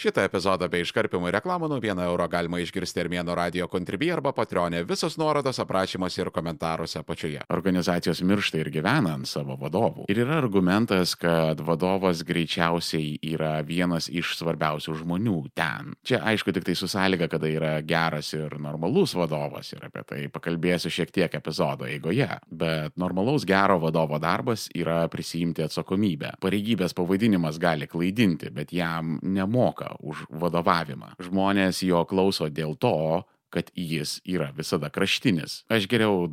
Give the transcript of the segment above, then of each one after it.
Šitą epizodą bei iškarpimų reklamų nuo 1 euro galima išgirsti Armėno radio Contribui arba Patreon'e. Visos nuorodos aprašymuose ir komentaruose apačioje. Organizacijos miršta ir gyvena ant savo vadovų. Ir yra argumentas, kad vadovas greičiausiai yra vienas iš svarbiausių žmonių ten. Čia aišku tik tai su sąlyga, kada yra geras ir normalus vadovas, ir apie tai pakalbėsiu šiek tiek epizodo eigoje. Bet normalaus gero vadovo darbas yra prisiimti atsakomybę. Pareigybės pavadinimas gali klaidinti, bet jam nemoka už vadovavimą. Žmonės jo klauso dėl to, kad jis yra visada kraštinis. Aš geriau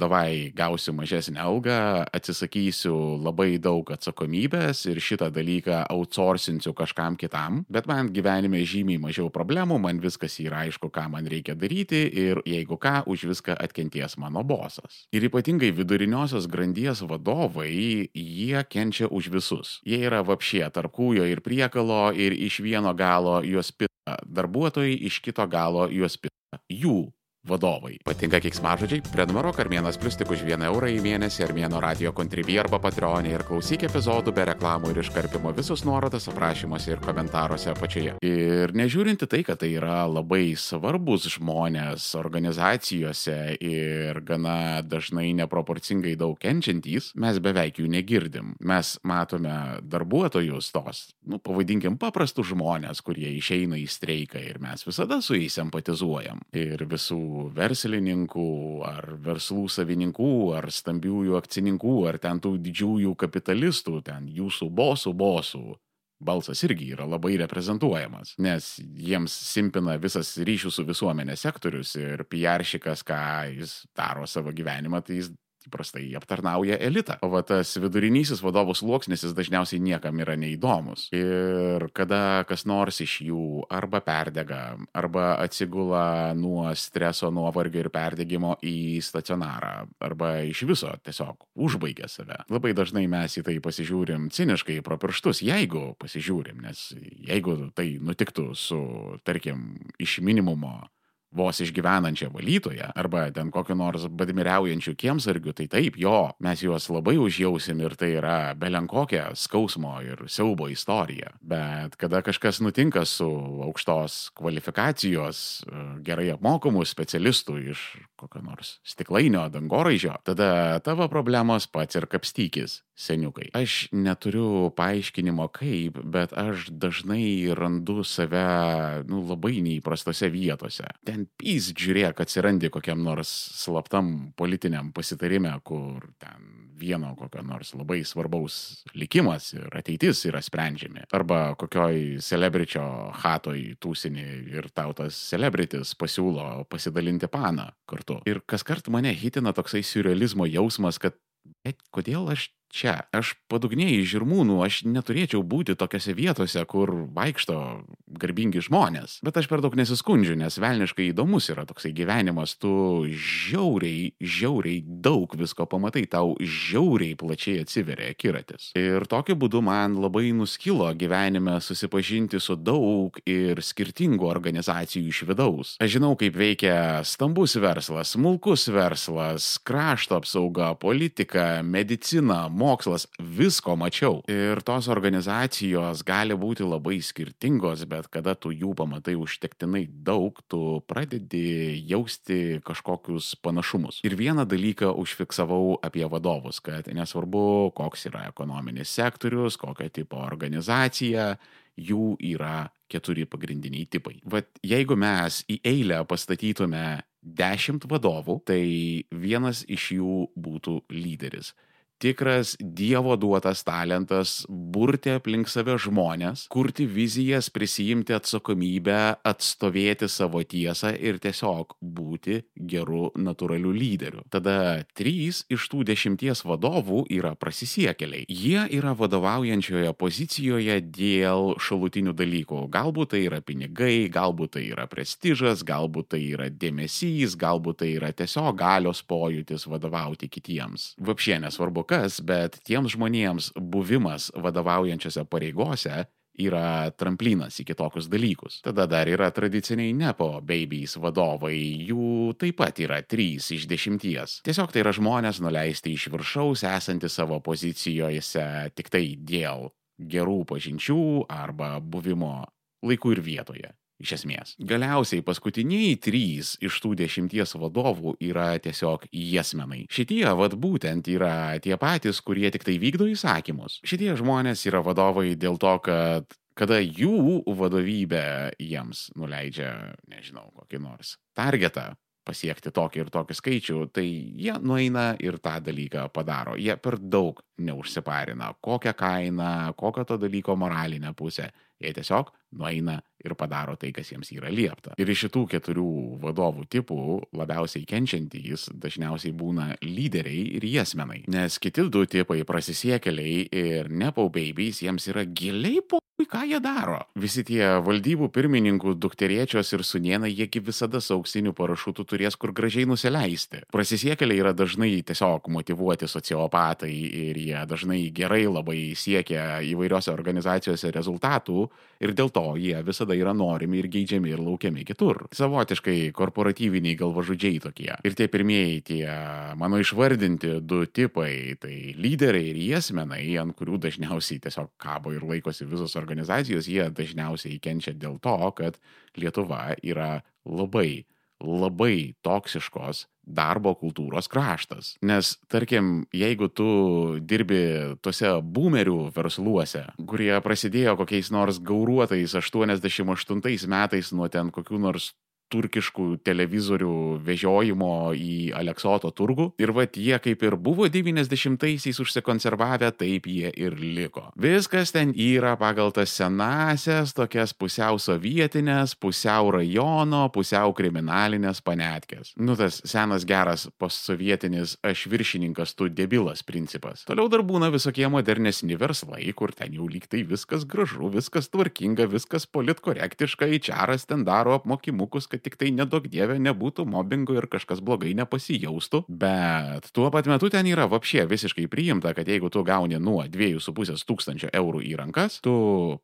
gausiu mažesnę algą, atsisakysiu labai daug atsakomybės ir šitą dalyką outsourcinsiu kažkam kitam, bet man gyvenime žymiai mažiau problemų, man viskas yra aišku, ką man reikia daryti ir jeigu ką, už viską atkenties mano bosas. Ir ypatingai viduriniosios grandies vadovai, jie kenčia už visus. Jie yra vapšie tarp kūjo ir priekalo ir iš vieno galo juos pita darbuotojai, iš kito galo juos pita jų vadovai. Patinka keiksmažodžiai? Prenumeruok Armėnas Plius tik už 1 eurą į mėnesį Armėno radio Contribui arba Patreon'e ir klausyk epizodų be reklamų ir iškarpimo. Visos nuorodos aprašymuose ir komentaruose apačioje. Ir nežiūrinti tai, kad tai yra labai svarbus žmonės organizacijose ir gana dažnai neproporcingai daug kenčiantys, mes beveik jų negirdim. Mes matome darbuotojus tos, pavadinkim paprastus žmonės, kurie išeina į streiką ir mes visada su jais empatizuojam. Ir visų verslininkų, ar verslų savininkų, ar stambiųjų akcininkų, ar ten tų didžiųjų kapitalistų, ten jūsų bosų balsas irgi yra labai reprezentuojamas, nes jiems simpina visas ryšių su visuomenė sektorius ir PR-šikas, ką jis daro savo gyvenimą, tai jis įprastai aptarnauja elitą. O va tas vidurinysis vadovų sluoksnis jis dažniausiai niekam yra neįdomus. Ir kada kas nors iš jų arba perdega, arba atsigula nuo streso, nuovargio ir perdegimo į stacionarą, arba iš viso tiesiog užbaigia save. Labai dažnai mes į tai pasižiūrim ciniškai pro pirštus, jeigu pasižiūrim, nes jeigu tai nutiktų su, tarkim, iš minimumo vos išgyvenančią valytoją, arba ten kokio nors badmiriaujančių kiemsargių, tai taip, mes juos labai užjausim ir tai yra belenkokia skausmo ir siaubo istorija. Bet kada kažkas nutinka su aukštos kvalifikacijos, gerai apmokomų specialistų iš kokio nors stiklainio dangoraižio, tada tavo problemos pats ir kapstykis, seniukai. Aš neturiu paaiškinimo kaip, bet aš dažnai randu save labai neįprastose vietose. Ten žiūrėk, atsirandi kokiam nors slaptam politiniam pasitarime, kur ten vieno kokio nors labai svarbaus likimas ir ateitis yra sprendžiami. Arba kokioj celebričio hatoj tūsini ir tau tas celebritis pasiūlo pasidalinti paną kartu. Ir kaskart mane hitina toksai siurrealizmo jausmas, kad kodėl aš čia? Aš padugnėjai žirmūnų, aš neturėčiau būti tokiose vietose, kur vaikšto garbingi žmonės. Bet aš per daug nesiskundžiu, nes velniškai įdomus yra toksai gyvenimas. Tu žiauriai daug visko pamatai, tau žiauriai plačiai atsiveria akiratis. Ir tokiu būdu man labai nuskilo gyvenime susipažinti su daug ir skirtingų organizacijų iš vidaus. Aš žinau, kaip veikia stambus verslas, smulkus verslas, krašto apsauga, politika, medicina, mokslas, visko mačiau. Ir tos organizacijos gali būti labai skirtingos, bet kada tu jų pamatai užtektinai daug, tu pradedi jausti kažkokius panašumus. Ir vieną dalyką užfiksavau apie vadovus, kad nesvarbu, koks yra ekonominis sektorius, kokio tipo organizacija, jų yra 4 pagrindiniai tipai. Vat jeigu mes į eilę pastatytume 10 vadovų, tai vienas iš jų būtų lyderis. Tikras Dievo duotas talentas burti aplink save žmonės, kurti vizijas, prisijimti atsakomybę, atstovėti savo tiesą ir tiesiog būti geru natūraliu lyderiu. Tada 3 iš tų 10 vadovų yra prasisiekėliai. Jie yra vadovaujančioje pozicijoje dėl šalutinių dalykų. Galbūt tai yra pinigai, galbūt tai yra prestižas, galbūt tai yra dėmesys, galbūt tai yra tiesiog galios pojūtis vadovauti kitiems. Vapšė nesvarbu kas, bet tiems žmonėms buvimas vadovaujančiose pareigose yra tramplinas į kitokius dalykus. Tada dar yra tradiciniai nepo babies vadovai, jų taip pat yra 3 iš 10. Tiesiog tai yra žmonės nuleisti iš viršaus, esanti savo pozicijose tik tai dėl gerų pažinčių arba buvimo laiku ir vietoje. Iš esmės. Galiausiai paskutiniai 3 iš tų 10 vadovų yra tiesiog jesmenai. Šitie būtent yra tie patys, kurie tik tai vykdo įsakymus. Šitie žmonės yra vadovai dėl to, kad kada jų vadovybė jiems nuleidžia, nežinau, kokį nors targetą pasiekti tokį ir tokį skaičių, tai jie nueina ir tą dalyką padaro. Jie per daug neužsiparina, kokią kainą, kokią to dalyko moralinę pusę. Jie tiesiog nueina ir padaro tai, kas jiems yra liepta. Ir iš šitų 4 vadovų tipų labiausiai kenčiantys dažniausiai būna lyderiai ir jesmenai. Nes kiti 2 tipai prasisiekėliai ir nepo babies jiems yra giliai ką jie daro. Visi tie valdybų pirmininkų dukteriečios ir sūnėnai, jiegi visada su auksiniu parašutu turės kur gražiai nusileisti. Prasisiekėliai yra dažnai tiesiog motyvuoti sociopatai ir jie dažnai gerai labai siekia įvairiose organizacijose rezultatų ir dėl to jie visada yra norimi ir geidžiami ir laukiami kitur. Savotiškai korporatyviniai galvažudžiai tokie. Ir tie pirmieji, tie mano išvardinti 2 tipai, tai lyderiai ir jesmenai, ant kurių dažniausiai tiesiog kabo ir laikosi visos organizacijos, jie dažniausiai kenčia dėl to, kad Lietuva yra labai toksiškos darbo kultūros kraštas. Nes, tarkim, jeigu tu dirbi tuose boomerių versluose, kurie prasidėjo kokiais nors gauruotais 88 metais nuo ten kokių nors turkiškų televizorių vežiojimo į Aleksoto turgų. Ir jie kaip ir buvo 90-aisiais užsikonservavę, taip jie ir liko. Viskas ten yra pagal tas senasias, tokias pusiau sovietinės, pusiau rajono, pusiau kriminalinės panetkės. Tas senas geras postsovietinis aš viršininkas, tu debilas principas. Toliau dar būna visokie modernesni verslai, kur ten jau lyg tai viskas gražu, viskas tvarkinga, viskas politkorektiška, HR-as ten daro apmokymukus, kad tik tai nedaug dievė nebūtų mobbingo ir kažkas blogai nepasijaustų, bet tuo pat metu ten yra vapšė visiškai priimta, kad jeigu tu gauni nuo 2,5 tūkstančio eurų į rankas, tu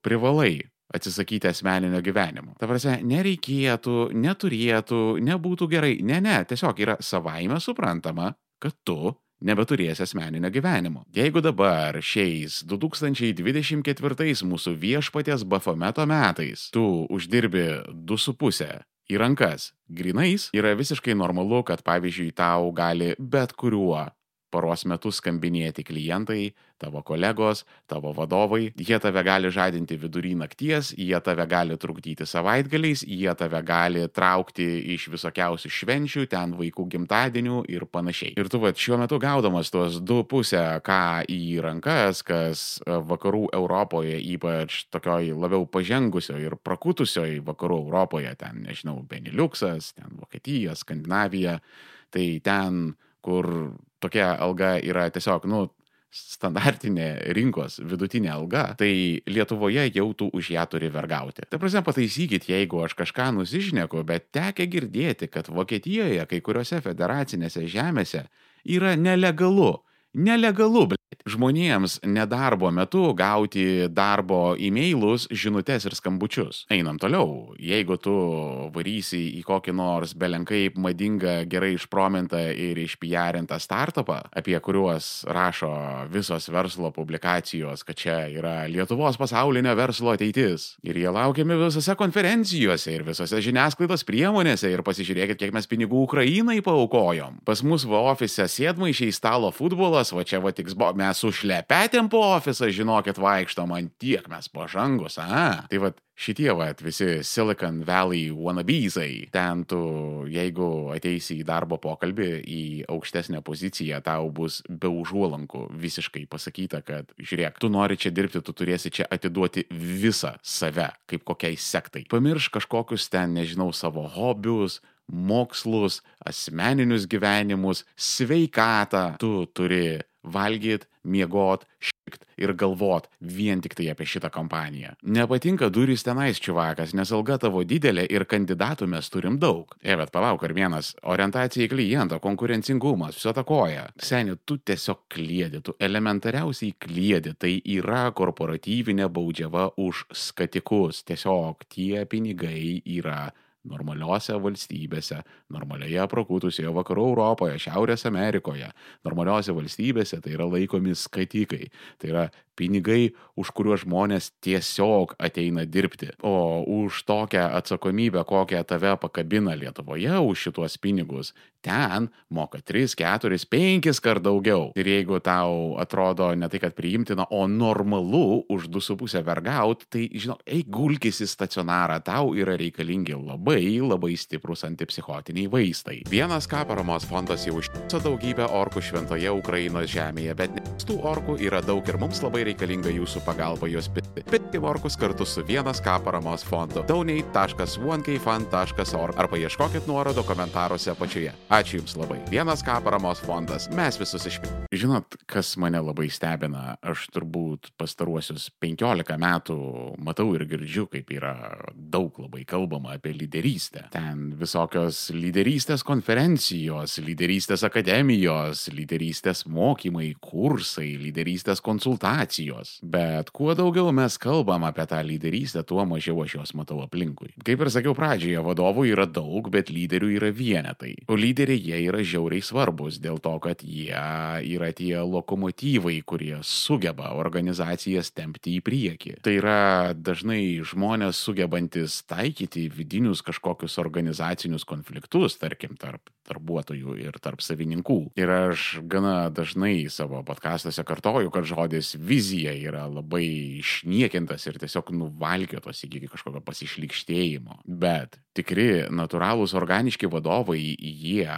privalai atsisakyti asmeninio gyvenimo. Ta prasme, nereikėtų, neturėtų, nebūtų gerai. Ne, tiesiog yra savaime suprantama, kad tu nebeturės asmeninio gyvenimo. Jeigu dabar šiais 2024 mūsų viešpaties Bafometo metais tu uždirbi 2,5 į rankas grinais, yra visiškai normalu, kad pavyzdžiui tau gali bet kuriuo paros metu skambinėti klientai, tavo kolegos, tavo vadovai, jie tave gali žadinti vidury nakties, jie tave gali trukdyti savaitgaliais, jie tave gali traukti iš visokiausių švenčių, ten vaikų gimtadienių ir panašiai. Ir tu šiuo metu gaudamas tuos 2,5K į rankas, kas vakarų Europoje, ypač tokioj labiau pažengusioj ir prakutusioj vakarų Europoje, ten, nežinau, Beniliuksas, ten Vokietija, Skandinavija, tai ten, kur tokia alga yra tiesiog, standartinė rinkos vidutinė alga, tai Lietuvoje jau tu už ją turi vergauti. Ta prasme, pataisykit, jeigu aš kažką nusišneku, bet tekę girdėti, kad Vokietijoje kai kuriuose federacinėse žemėse yra nelegalu, žmonėms nedarbo metu gauti darbo e-mailus, žinutes ir skambučius. Einam toliau. Jeigu tu varysi į kokį nors belenkaip madingą, gerai išpromintą ir išpijarintą startupą, apie kuriuos rašo visos verslo publikacijos, kad čia yra Lietuvos pasaulinio verslo ateitis. Ir jie laukiami visose konferencijose ir visose žiniasklaidos priemonėse ir pasižiūrėkit, kiek mes pinigų Ukrainai paaukojom. Pas mus ofise sėdmaišiai, stalo futbolas, čia tiks mes su šlepetėm po ofisą, žinokit, vaikštom, ant tiek mes pažangus, Tai šitie visi Silicon Valley wannabesai, ten tu, jeigu ateisi į darbo pokalbį, į aukštesnę poziciją, tau bus be užuolankų visiškai pasakyta, kad žiūrėk, tu nori čia dirbti, tu turėsi čia atiduoti visą save, kaip kokiai sektai. Pamirš kažkokius ten, nežinau, savo hobius, mokslus, asmeninius gyvenimus, sveikatą. Tu turi valgyt, miegot, šikt ir galvot vien tik tai apie šitą kompaniją. Nepatinka durys tenais, čiuvakas, nes alga tavo didelė ir kandidatų mes turim daug. Bet palauk, ar vienas, orientacija į klientą, konkurencingumas, viso ta koja. Seni, tu tiesiog kliedi, tu elementariausiai kliedi, tai yra korporatyvinė baudžiava už skatikus. Tiesiog tie pinigai yra normaliose valstybėse, normalioje prakutusioje vakarų Europoje, Šiaurės Amerikoje, normaliose valstybėse tai yra laikomi skatikai. Tai yra pinigai, už kuriuos žmonės tiesiog ateina dirbti. O už tokią atsakomybę, kokią tave pakabina Lietuvoje už šituos pinigus, ten moka 3, 4, 5 kart daugiau. Ir jeigu tau atrodo ne tai, kad priimtina, o normalu už 2,5 vergaut, tai, žinok, eik gulkis į stacionarą, tau yra reikalingi labai stiprus antipsichotiniai vaistai. 1K paramos fondas jau užtiso daugybę orkų šventoje Ukrainos žemėje, bet tų orkų yra daug ir mums labai reikalinga jūsų pagalba juos pirkti. Pirkti orkus kartu su 1K paramos fondu. donate.1kfund.org arba ieškokit nuorodo komentaruose apačioje. Ačiū Jums labai. 1K paramos fondas. Mes visus išpirkime. Žinot, kas mane labai stebina, aš turbūt pastaruosius 15 metų matau ir girdžiu, kaip yra daug labai kalbama apie lyderystę. Ten visokios lyderystės konferencijos, lyderystės akademijos, lyderystės mokymai, kursai, lyderystės konsultacijos. Bet kuo daugiau mes kalbam apie tą lyderystę, tuo mažiau aš jos matau aplinkui. Kaip ir sakiau pradžioje, vadovų yra daug, bet lyderių yra vienetai. O lyderiai jie yra žiauriai svarbus dėl to, kad jie yra tie lokomotyvai, kurie sugeba organizacijas tempti į priekį. Tai yra dažnai žmonės sugebantis taikyti vidinius kažkokius organizacinius konfliktus, tarkim, tarp darbuotojų ir tarp savininkų. Ir aš gana dažnai savo podcastuose kartoju, kad žodis vizija yra labai išniekintas ir tiesiog nuvalkiotas iki kažkokio pasišlykštėjimo. Bet tikri, natūralūs, organiški vadovai, jie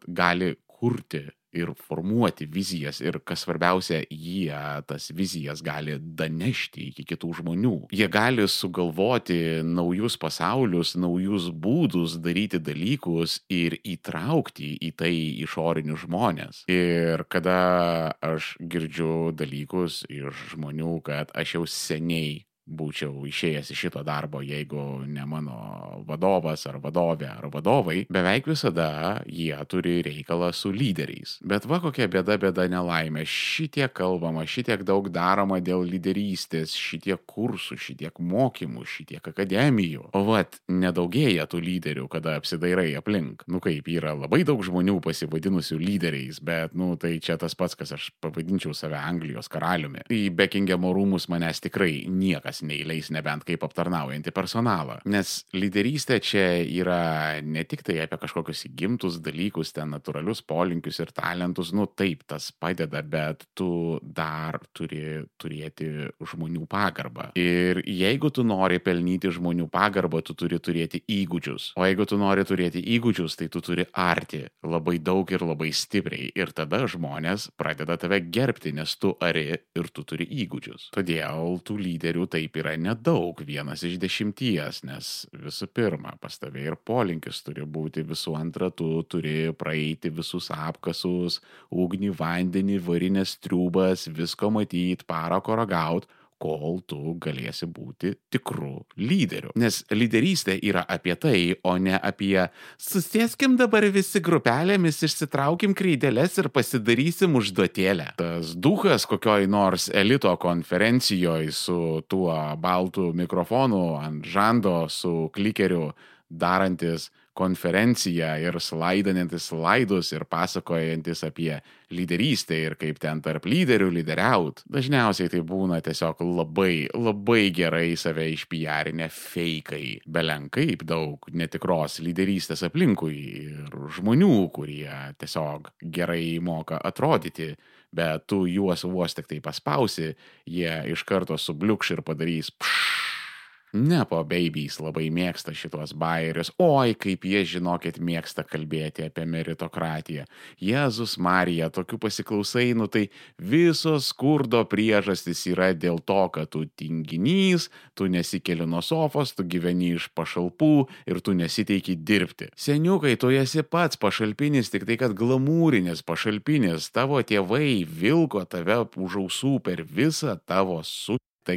gali kurti ir formuoti vizijas ir, kas svarbiausia, jie tas vizijas gali danešti iki kitų žmonių. Jie gali sugalvoti naujus pasaulius, naujus būdus daryti dalykus ir įtraukti į tai išorinius žmonės. Ir kada aš girdžiu dalykus iš žmonių, kad aš jau seniai būčiau išėjęs iš šito darbo, jeigu ne mano vadovas ar vadovė ar vadovai, beveik visada jie turi reikalą su lyderiais. Bet va kokia bėda nelaimė. Šitiek kalbama, šitiek daug daroma dėl lyderystės, šitiek kursų, šitiek mokymų, šitiek akademijų. O vat, nedaugėja tų lyderių, kada apsidairai aplink. Kaip yra labai daug žmonių pasivadinusių lyderiais, bet, tai čia tas pats, kas aš pavadinčiau save Anglijos karaliumi. Į Bekingemo rūmus manęs tikrai niekas neįleis, nebent kaip aptarnaujantį personalą. Nes lyderystė čia yra ne tik tai apie kažkokius įgimtus dalykus, ten natūralius polinkius ir talentus, taip, tas padeda, bet tu dar turi turėti žmonių pagarbą. Ir jeigu tu nori pelnyti žmonių pagarbą, tu turi turėti įgūdžius. O jeigu tu nori turėti įgūdžius, tai tu turi arti labai daug ir labai stipriai. Ir tada žmonės pradeda tave gerbti, nes tu ari ir tu turi įgūdžius. Todėl tų lyderių taip yra nedaug, 1 iš 10, nes visų pirma, pas tave ir polinkis turi būti, visų antra, tu turi praeiti visus apkasus, ugnį, vandenį, varinės triūbas, visko matyti, parako ragaut, kol tu galėsi būti tikru lyderiu. Nes lyderystė yra apie tai, o ne apie susėskim dabar visi grupelėmis, išsitraukim kreideles ir pasidarysim užduotėlę. Tas duchas kokioj nors elito konferencijoje su tuo baltu mikrofonu ant žando, su klikeriu darantis konferenciją ir slaidantis slaidus ir pasakojantis apie lyderystę ir kaip ten tarp lyderių lyderiaut. Dažniausiai tai būna tiesiog labai gerai save išpijarinę feikai. Belenkaip daug netikros lyderystės aplinkui ir žmonių, kurie tiesiog gerai moka atrodyti, bet tu juos vos tik tai paspausi, jie iš karto subliukš ir padarys Nepo babies labai mėgsta šitos bajerius. Oi, kaip jie, žinokit, mėgsta kalbėti apie meritokratiją. Jėzus Marija, tokių pasiklausai, tai visos skurdo priežastys yra dėl to, kad tu tinginys, tu nesikeli nuo sofos, tu gyveni iš pašalpų ir tu nesiteiki dirbti. Seniukai, tu esi pats pašalpinis, tik tai kad glamūrinis pašalpinis. Tavo tėvai vilko tave už ausų per visą tavo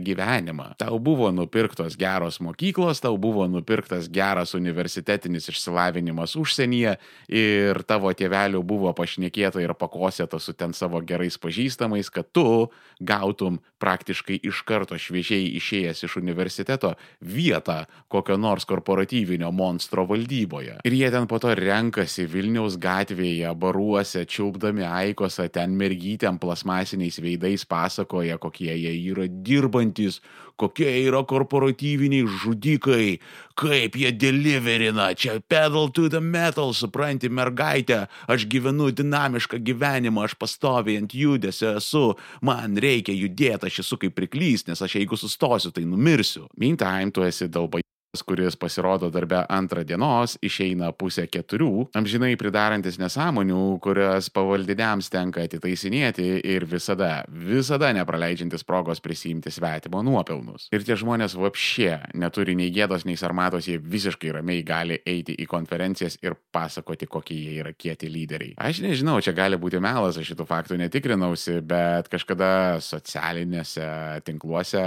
gyvenimą. Tau buvo nupirktos geros mokyklos, tau buvo nupirktas geras universitetinis išsilavinimas užsienyje ir tavo tėvelių buvo pašnekėta ir pakosėta su ten savo gerais pažįstamais, kad tu gautum praktiškai iš karto šviežiai išėjęs iš universiteto vietą kokio nors korporatyvinio monstro valdyboje. Ir jie ten po to renkasi Vilniaus gatvėje, baruose, čiulpdami aikosą, ten mergytėm plasmasiniais veidais pasakoja, kokie jie yra dirbantis, kokie yra korporatyviniai žudikai, kaip jie deliverina, čia pedal to the metal, supranti, mergaitė, aš gyvenu dinamišką gyvenimą, aš pastoviai ant judesio esu, man reikia judėti, aš esu kaip priklys, nes aš jeigu sustosiu, tai numirsiu. Meantime, tu esi dalbai, kuris pasirodo darbe 2 dienos, išeina 3:30, amžinai pridarantis nesąmonių, kurias pavaldiniams tenka atitaisinėti ir visada nepraleidžiantis progos prisiimti svetimo nuopelnus. Ir tie žmonės vapšė neturi nei gėdos, nei sarmatos, jie visiškai ramiai gali eiti į konferencijas ir pasakoti, kokie jie yra kieti lyderiai. Aš nežinau, čia gali būti melas, aš šitų faktų netikrinausi, bet kažkada socialinėse tinkluose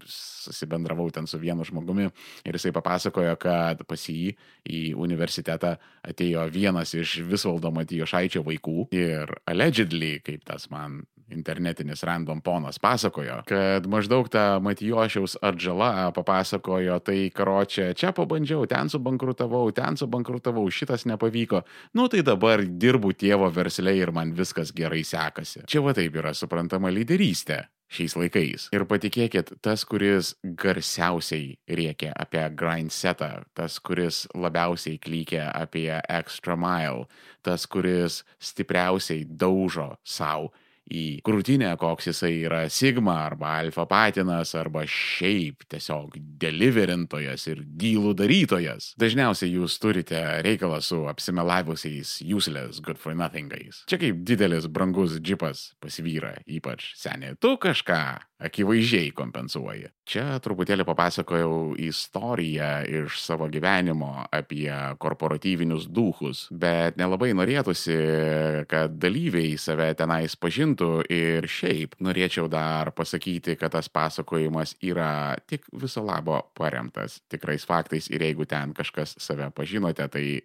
susibendravau ten su vienu žmogumi ir jisai papasakojo, kad pas jį į universitetą atėjo vienas iš Visvaldo Matijošaičio vaikų ir allegedly, kaip tas man internetinis random ponas pasakojo, kad maždaug ta Matijošiaus atžala papasakojo, tai karočią, čia pabandžiau, ten subankrutavau, šitas nepavyko, nu tai dabar dirbu tėvo versle ir man viskas gerai sekasi. Čia va taip yra suprantama lyderystė šiais laikais. Ir patikėkit, tas, kuris garsiausiai rėkė apie grindsetą, tas, kuris labiausiai klykė apie extra mile, tas, kuris stipriausiai daužo savo į krūtinę, koks jisai yra Sigma arba Alfa patinas arba šiaip tiesiog deliverintojas ir dylų darytojas. Dažniausiai jūs turite reikalą su apsimelavusiais useless good for nothingais. Čia kaip didelis brangus džipas pas vyrą, ypač seniai. Tu kažką akivaizdžiai kompensuoji. Čia truputėlį papasakojau istoriją iš savo gyvenimo apie korporatyvinius duchus, bet nelabai norėtųsi, kad dalyviai save tenais pažintų ir šiaip norėčiau dar pasakyti, kad tas pasakojimas yra tik viso labo paremtas tikrais faktais ir jeigu ten kažkas save pažinote, tai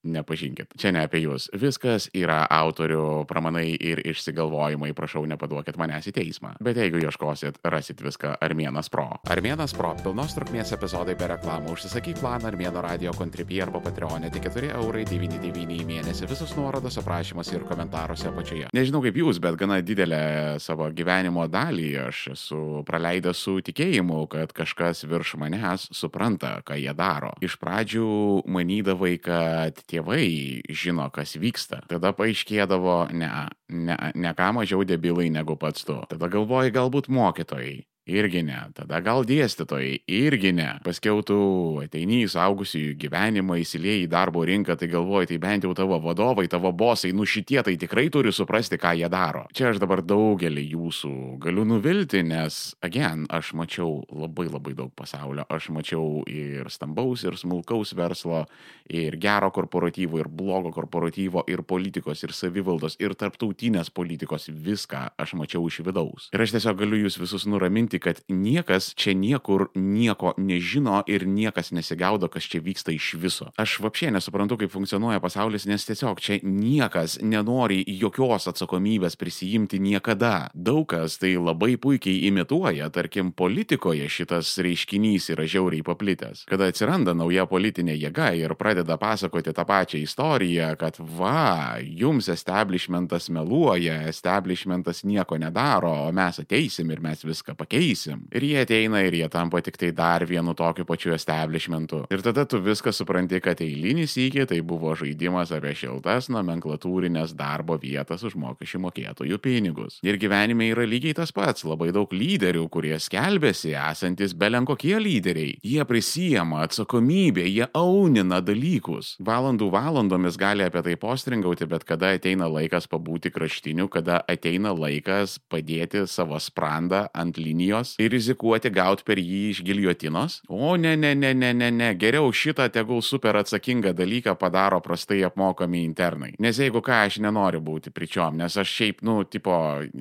nepažinkit. Čia ne apie jūs. Viskas yra autorių pramanai ir išsigalvojimai, prašau, nepaduokit manęs į teismą. Bet jeigu ieškosit, rasit viską Armėnas Pro. Armėnas Pro. Pilnos trukmės epizodai be reklamų. Užsisakyk planą Armėno radio Contribui arba Patreonė tik 4,99 € į mėnesį. Visus nuorodos aprašymuose ir komentaruose apačioje. Nežinau kaip jūs, bet gana didelę savo gyvenimo dalį aš esu praleidęs su tikėjimu, kad kažkas virš manęs supranta, ką jie daro. Iš pradžių manydavai, kad tėvai žino, kas vyksta. Tada paaiškėdavo, ne ką mažiau debilai negu pats tu. Tada galvoji, galbūt mokytojai. Irgi ne. Tada gal dėstytojai. Irgi ne. Paskiau tu ateini į suaugusiųjų gyvenimą, įsilieji į darbo rinką, tai galvoji, tai bent jau tavo vadovai, tavo bosai, nu šitie tai tikrai turi suprasti, ką jie daro. Čia aš dabar daugelį jūsų galiu nuvilti, nes, again, aš mačiau labai daug pasaulio. Aš mačiau ir stambaus, ir smulkaus verslo, ir gero korporatyvo, ir blogo korporatyvo, ir politikos, ir savivaldos, ir tarptautinės politikos. Viską aš mačiau iš vidaus. Ir aš tiesiog galiu jūs visus nuraminti, kad niekas čia niekur nieko nežino ir niekas nesigaudo, kas čia vyksta iš viso. Aš vapšė nesuprantu, kaip funkcionuoja pasaulis, nes tiesiog čia niekas nenori jokios atsakomybės prisijimti niekada. Daug kas tai labai puikiai imituoja, tarkim, politikoje šitas reiškinys yra žiauriai paplitęs. Kada atsiranda nauja politinė jėga ir pradeda pasakoti tą pačią istoriją, kad va, jums establishmentas meluoja, establishmentas nieko nedaro, o mes ateisim ir mes viską pakeisim. Ir jie ateina ir jie tampa tik tai dar vienu tokiu pačiu establishmentu. Ir tada tu viską supranti, kad eilinį sykį tai buvo žaidimas apie šiltas nomenklatūrinės darbo vietas už mokesčių mokėtojų pinigus. Ir gyvenime yra lygiai tas pats. Labai daug lyderių, kurie skelbėsi esantis belenkokie lyderiai. Jie prisijama atsakomybę, jie aunina dalykus. Valandomis gali apie tai postringauti, bet kada ateina laikas pabūti kraštiniu, kada ateina laikas padėti savo sprandą ant linijos premijos ir rizikuoti gauti per jį iš giljotinos? O ne, geriau šitą tegul super atsakingą dalyką padaro prastai apmokami internai. Nes jeigu ką, aš nenoriu būti pričiom, nes aš šiaip,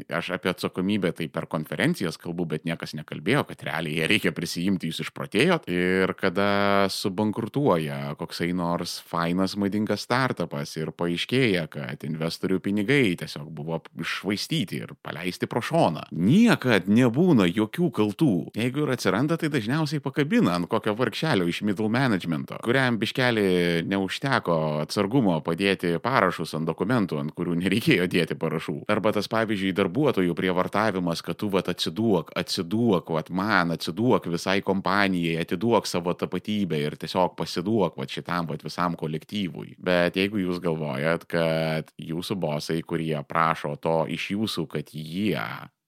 aš apie atsakomybę tai per konferencijas kalbu, bet niekas nekalbėjo, kad realiai ją reikia prisijimti, jūs išprotėjot. Ir kada subankrutuoja koksai nors fainas madingas startupas ir paaiškėja, kad investorių pinigai tiesiog buvo iššvaistyti ir paleisti pro šoną. Niekad nebūna jokių kaltų. Jeigu ir atsiranda, tai dažniausiai pakabina ant kokio vargšelio iš middle managemento, kuriam biškelį neužteko atsargumo padėti parašus ant dokumentų, ant kurių nereikėjo dėti parašų. Arba tas, pavyzdžiui, darbuotojų prievartavimas, kad tu atsiduok visai kompanijai, atiduok savo tapatybę ir tiesiog pasiduok šitam visam kolektyvui. Bet jeigu jūs galvojat, kad jūsų bosai, kurie prašo to iš jūsų, kad jie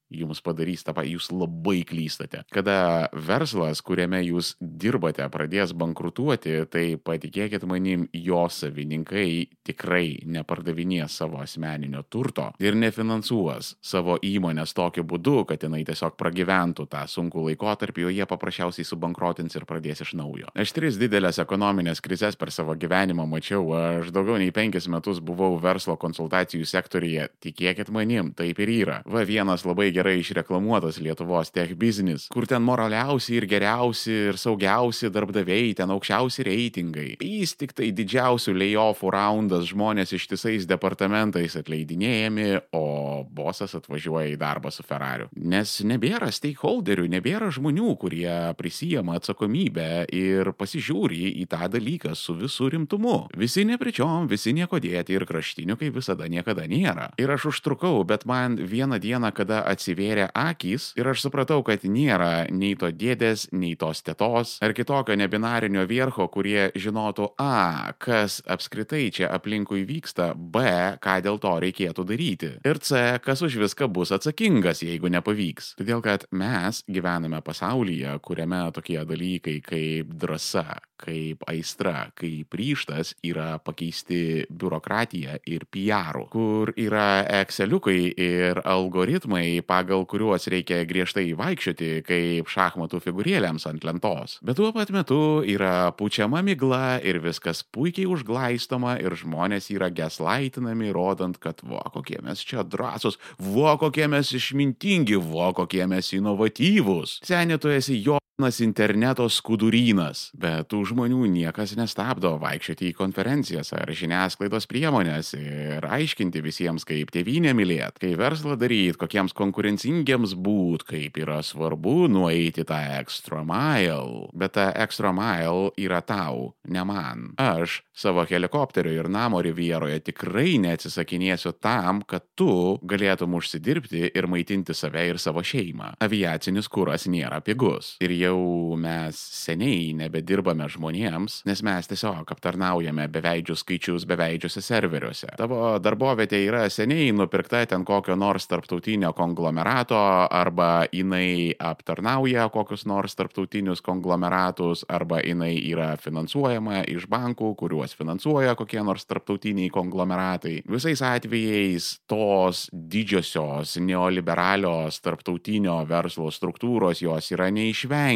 jums padarys tą patį, jūs labai klystate. Kada verslas, kuriame jūs dirbate, pradės bankrutuoti, tai patikėkit manim, jo savininkai tikrai nepardavinės savo asmeninio turto ir nefinansuos savo įmonės tokiu būdu, kad jinai tiesiog pragyventų tą sunkų laikotarpį, o jie paprasčiausiai subankrotins ir pradės iš naujo. Aš 3 didelės ekonominės krizes per savo gyvenimą mačiau, aš daugiau nei 5 metus buvau verslo konsultacijų sektoriuje, tikėkit manim, taip ir yra. Vienas labai gerai išreklamuotas Lietuvos tech business, kur ten moraliausi ir geriausi ir saugiausi darbdaviai, ten aukščiausi reitingai. Jis tik tai didžiausių layoffų raundas, žmonės ištisais departamentais atleidinėjami, o bosas atvažiuoja į darbą su Ferrariu. Nes nebėra stakeholderių, nebėra žmonių, kurie prisijama atsakomybę ir pasižiūri į tą dalyką su visų rimtumu. Visi nepričiom, visi nieko dėti ir kraštinių kaip visada niekada nėra. Ir aš užtrukau, bet man vieną dieną, kada atsivėrė akys ir aš supratau, kad nėra nei to dėdės, nei tos tetos ar kitokio nebinarinio viercho, kurie žinotų kas apskritai čia aplinkui vyksta, b, ką dėl to reikėtų daryti ir c, kas už viską bus atsakingas, jeigu nepavyks. Todėl, kad mes gyvename pasaulyje, kuriame tokie dalykai kaip drąsa, kaip aistra, kaip ryžtas yra pakeisti biurokratija ir PR, kur yra Exceliukai ir algoritmai, pagal kuriuos reikia griežtai vaikščioti kaip šachmatų figūrėlėms ant lentos. Bet tuo pat metu yra pučiama migla ir viskas puikiai užglaistoma ir žmonės yra gaslaitinami, rodant, kad kokie mes čia drąsūs, kokie mes išmintingi, kokie mes inovatyvūs. Seni, tu esi interneto skudurynas, bet tų žmonių niekas nestabdo vaikščioti į konferencijas ar žiniasklaidos priemonės ir aiškinti visiems, kaip tėvynę mylėt, kaip verslą daryt, kokiems konkurencingiems būt, kaip yra svarbu nueiti tą extra mile. Bet ta extra mile yra tau, ne man. Aš savo helikopterio ir namo rivieroje tikrai neatsisakinėsiu tam, kad tu galėtum užsidirbti ir maitinti save ir savo šeimą. Aviacinis kuras nėra pigus. Ir jau mes seniai nebedirbame žmonėms, nes mes tiesiog aptarnaujame beveidžius skaičius beveidžiuose serveriuose. Tavo darbovietė yra seniai nupirkta ten kokio nors tarptautinio konglomerato, arba jinai aptarnauja kokius nors tarptautinius konglomeratus, arba jinai yra finansuojama iš bankų, kuriuos finansuoja kokie nors tarptautiniai konglomeratai. Visais atvejais tos didžiosios neoliberalios tarptautinio verslo struktūros jos yra neišvengiamos.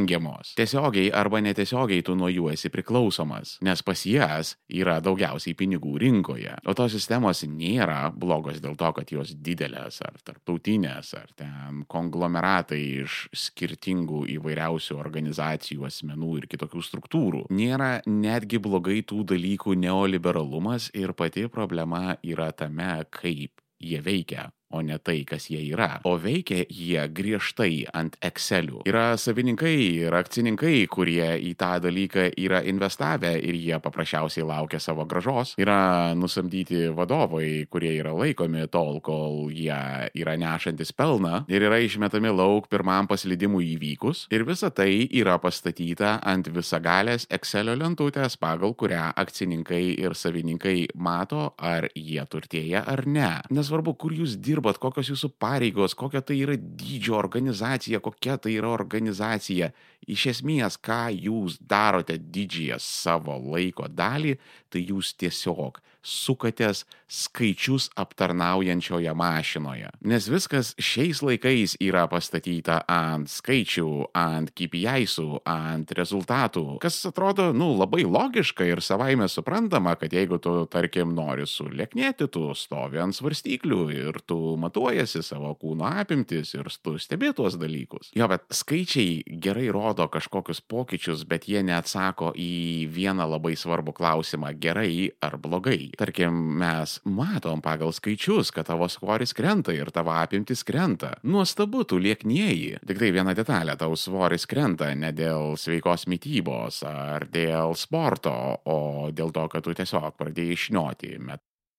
Tiesiogiai arba netiesiogiai tu nuo jų esi priklausomas, nes pas jas yra daugiausiai pinigų rinkoje. O tos sistemos nėra blogos dėl to, kad jos didelės ar tarptautinės, ar ten konglomeratai iš skirtingų įvairiausių organizacijų, asmenų ir kitokių struktūrų. Nėra netgi blogai tų dalykų neoliberalumas ir pati problema yra tame, kaip jie veikia, o ne tai, kas jie yra. O veikia jie griežtai ant Excelių. Yra savininkai ir akcininkai, kurie į tą dalyką yra investavę ir jie paprasčiausiai laukia savo grąžos. Yra nusamdyti vadovai, kurie yra laikomi tol, kol jie yra nešantis pelną ir yra išmetami lauk pirmam paslydimui įvykus. Ir visa tai yra pastatyta ant visagalės Excelio lentutės, pagal kurią akcininkai ir savininkai mato, ar jie turtėja ar ne. Nesvarbu, kur jūs dirbate, kokios jūsų pareigos, kokia tai yra dydžio organizacija, kokia tai yra organizacija, Iš esmės, ką jūs darote didžiąją savo laiko dalį, tai jūs tiesiog sukatės skaičius aptarnaujančioje mašinoje. Nes viskas šiais laikais yra pastatyta ant skaičių, ant KPI-sų, ant rezultatų, kas atrodo, labai logiška ir savaime suprantama, kad jeigu tu, tarkim, nori sulieknėti, tu stovi ant svarstyklių ir tu matuojasi savo kūno apimtis ir tu stebi tuos dalykus. Jo, bet skaičiai gerai rodo kažkokius pokyčius, bet jie neatsako į vieną labai svarbų klausimą - gerai ar blogai. Tarkim, mes matom pagal skaičius, kad tavo svoris krenta ir tavo apimtis krenta. Nuostabu, tu lieknėji. Tik tai viena detalė, tau svoris krenta ne dėl sveikos mitybos ar dėl sporto, o dėl to, kad tu tiesiog pradėjai šnioti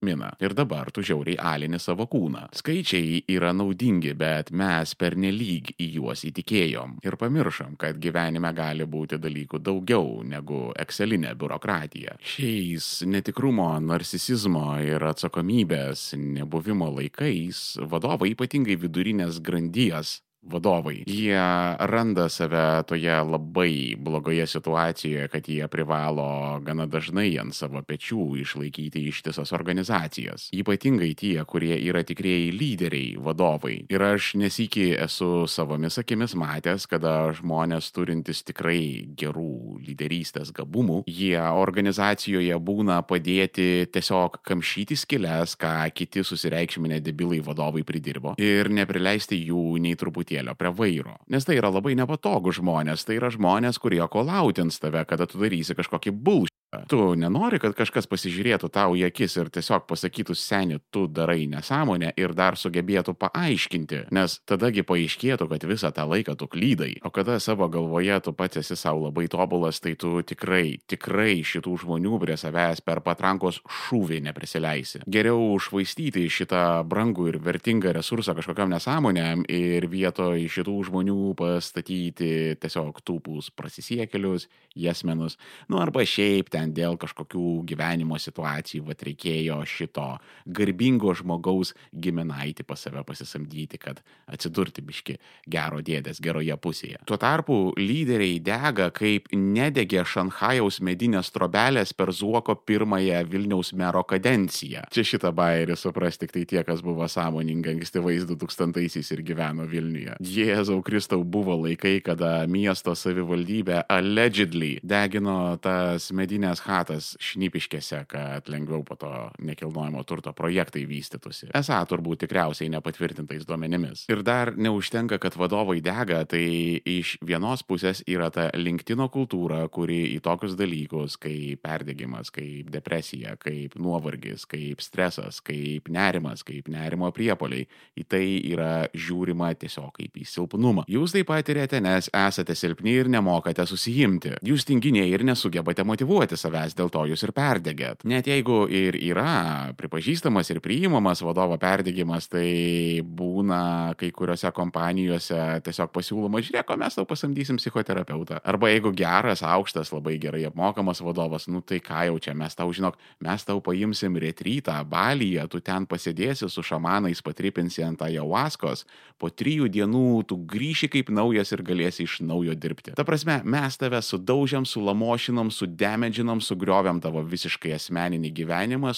miną. Ir dabar tu žiauriai alini savo kūną. Skaičiai yra naudingi, bet mes pernelyg į juos įtikėjom ir pamiršom, kad gyvenime gali būti dalykų daugiau negu excelinė biurokratija. Šiais netikrumo, narcisizmo ir atsakomybės nebuvimo laikais vadovai, ypatingai vidurinės grandies vadovai, jie randa save toje labai blogoje situacijoje, kad jie privalo gana dažnai ant savo pečių išlaikyti ištisas organizacijas. Ypatingai tie, kurie yra tikrieji lyderiai, vadovai. Ir aš nesykį esu savomis akimis matęs, kada žmonės turintys tikrai gerų lyderystės gabumų, jie organizacijoje būna padėti tiesiog kamšyti skyles, ką kiti susireikšminę debilai vadovai pridirbo, ir neprileisti jų nei truputį prie vairo. Nes tai yra labai nepatogu žmonės, tai yra žmonės, kurie kolautins tave, kada tu darysi kažkokį bullshit. Tu nenori, kad kažkas pasižiūrėtų tau į akis ir tiesiog pasakytų, seni, tu darai nesąmonę ir dar sugebėtų paaiškinti, nes tadagi paaiškėtų, kad visą tą laiką tu klydai. O kada savo galvoje tu pats esi savo labai tobulas, tai tu tikrai šitų žmonių prie savęs per patrankos šūvį neprisileisi. Geriau švaistyti šitą brangų ir vertingą resursą kažkokiam nesąmonėm ir vietoj šitų žmonių pastatyti tiesiog tūpus prasisiekėlius, jesmenus, arba šiaip ten dėl kažkokių gyvenimo situacijų, reikėjo šito garbingo žmogaus giminaitį pas save pasisamdyti, kad atsidurti biški gero dėdės geroje pusėje. Tuo tarpu lyderiai dega, kaip nedegė Šanchajaus medinės trobelės per Zuoko pirmąją Vilniaus mero kadenciją. Čia šitą bairį supras tik tai tie, kas buvo sąmoningi ankstyvais 2000-aisiais ir gyveno Vilniuje. Jėzau Kristau, buvo laikai, kada miesto savivaldybė allegedly degino tas medinės chatas Šnipiškėse, kad lengviau po to nekilnojamo turto projektai vystytųsi. Esą turbūt tikriausiai nepatvirtintais duomenimis. Ir dar neužtenka, kad vadovai dega, tai iš vienos pusės yra ta LinkedIno kultūra, kuri į tokius dalykus kaip perdegimas, kaip depresija, kaip nuovargis, kaip stresas, kaip nerimas, kaip nerimo priepuoliai, į tai yra žiūrima tiesiog kaip į silpnumą. Jūs tai patiriate, nes esate silpni ir nemokate susijimti. Jūs tinginiai ir nesugebate motyvuoti savęs, dėl to jūs ir perdegėt. Net jeigu ir yra pripažįstamas ir priimamas vadovo perdegimas, tai būna kai kuriuose kompanijose tiesiog pasiūloma, žiūrėk, mes tau pasamdysim psichoterapeutą. Arba jeigu geras, aukštas, labai gerai apmokamas vadovas, tai ką jau čia, mes tau paimsim retrytą Balyje, tu ten pasėdėsi su šamanais, patripinsi ant ajahuaskos, po 3 dienų tu grįši kaip naujas ir galėsi iš naujo dirbti. Ta prasme, mes tave sudaužiam, sulamošinom, sudemedžinom, sugriovėm tavo visiškai asmeninį gyvenimą,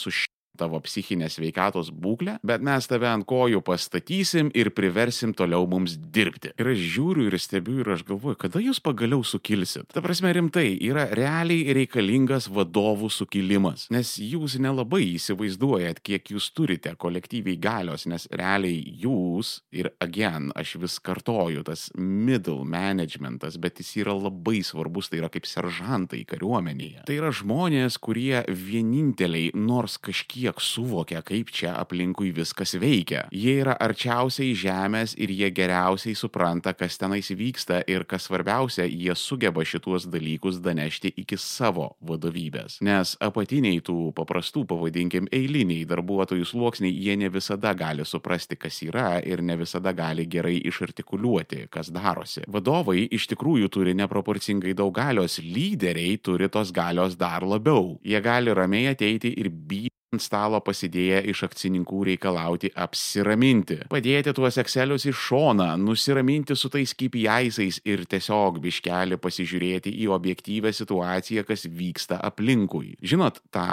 tavo psichinės sveikatos būklę, bet mes tave ant kojų pastatysim ir priversim toliau mums dirbti. Ir aš žiūriu ir stebiu ir aš galvoju, kada jūs pagaliau sukilsit. Ta prasme, rimtai, yra realiai reikalingas vadovų sukilimas, nes jūs nelabai įsivaizduojat, kiek jūs turite kolektyviai galios, nes realiai jūs, ir again, aš vis kartoju, tas middle managementas, bet jis yra labai svarbus, tai yra kaip seržantai kariuomenėje. Tai yra žmonės, kurie vieninteliai nors kažkiek suvokia, kaip čia aplinkui viskas veikia. Jie yra arčiausiai žemės ir jie geriausiai supranta, kas tenais vyksta ir kas svarbiausia, jie sugeba šituos dalykus danešti iki savo vadovybės. Nes apatiniai tų paprastų, pavadinkim, eiliniai darbuotojų sluoksniai, jie ne visada gali suprasti, kas yra ir ne visada gali gerai išartikuliuoti, kas darosi. Vadovai iš tikrųjų turi neproporcingai daug galios, lyderiai turi tos galios dar labiau. Jie gali ramiai ateiti ir ant stalo pasidėję iš akcininkų reikalauti apsiraminti, padėti tuos Excelius į šoną, nusiraminti su tais KPI'ais ir tiesiog biškelį pasižiūrėti į objektyvę situaciją, kas vyksta aplinkui. Žinot tą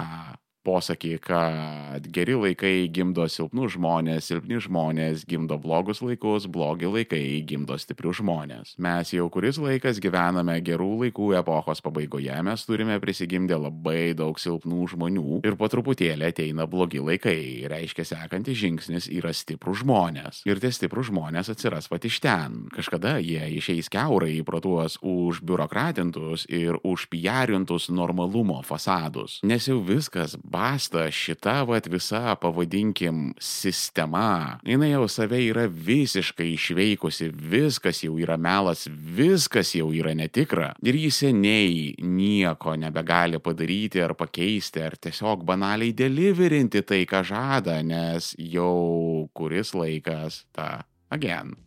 posakį, kad geri laikai gimdo silpnus žmonės, silpni žmonės gimdo blogus laikus, blogi laikai gimdo stiprius žmonės. Mes jau kuris laikas gyvename gerų laikų epochos pabaigoje, mes turime prisigimdę labai daug silpnų žmonių ir po truputėlį ateina blogi laikai. Reiškia, sekantis žingsnis yra stiprus žmonės. Ir tie stiprus žmonės atsiras pat iš ten. Kažkada jie išeis kiaurai pro tuos užbiurokratintus ir užpijarintus normalumo fasadus. Nes jau viskas basta, šita visa, pavadinkim, sistema. Jinai jau save yra visiškai išveikusi, viskas jau yra melas, viskas jau yra netikra. Ir jis seniai nieko nebegali padaryti ar pakeisti, ar tiesiog banaliai deliverinti tai, ką žada, nes jau kuris laikas ta,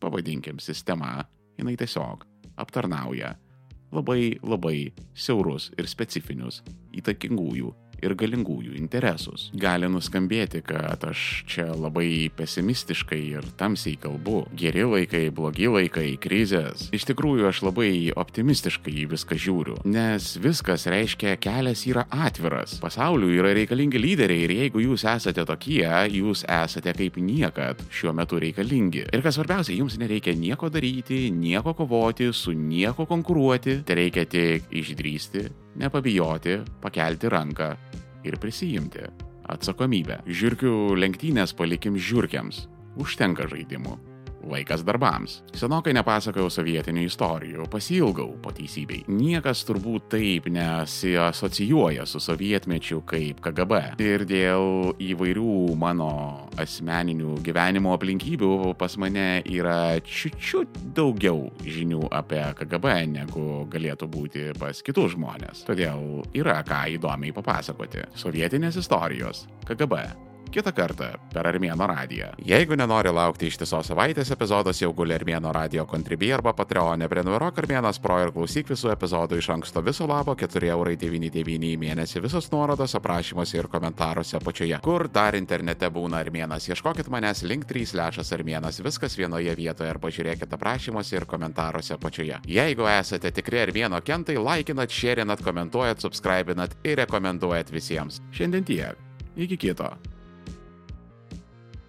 pavadinkim, sistema, jinai tiesiog aptarnauja labai siaurus ir specifinius įtakingųjų ir galingųjų interesus. Gali nuskambėti, kad aš čia labai pesimistiškai ir tamsiai kalbu. Geri laikai, blogi laikai, krizės. Iš tikrųjų, aš labai optimistiškai į viską žiūriu, nes viskas reiškia, kelias yra atviras. Pasauliui yra reikalingi lyderiai ir jeigu jūs esate tokie, jūs esate kaip niekad šiuo metu reikalingi. Ir kas svarbiausia, jums nereikia nieko daryti, nieko kovoti, su nieko konkuruoti. Tai reikia tik išdrįsti, nepabijoti, pakelti ranką ir prisijimti atsakomybę. Žiurkių lenktynės palikim žiurkiams. Užtenka žaidimų. Laikas darbams. Senokai nepasakojau sovietinių istorijų, pasiilgau po teisybei. Niekas turbūt taip nesiasocijuoja su sovietmečiu kaip KGB. Ir dėl įvairių mano asmeninių gyvenimo aplinkybių pas mane yra čiut daugiau žinių apie KGB, negu galėtų būti pas kitus žmonės. Todėl yra ką įdomiai papasakoti. Sovietinės istorijos. KGB. Kitą kartą per Armėno radiją. Jeigu nenori laukti ištisos savaitės, epizodas jau guli Armėno radio Contribui arba Patreon'e. Prenumeruok Armėnas Pro ir klausyk visų epizodų iš anksto viso labo 4,99 į mėnesį. Visos nuorodos aprašymuose ir komentaruose apačioje. Kur dar internete būna Armėnas? Ieškokit manęs link3/Armėnas. Viskas vienoje vietoje ir pažiūrėkit aprašymuose ir komentaruose apačioje. Jeigu esate tikri Armėno kentai, laikinat, šėrinat, komentuojat, subscribinat ir rekomenduojat visiems. Šiandien tiek. Iki kito.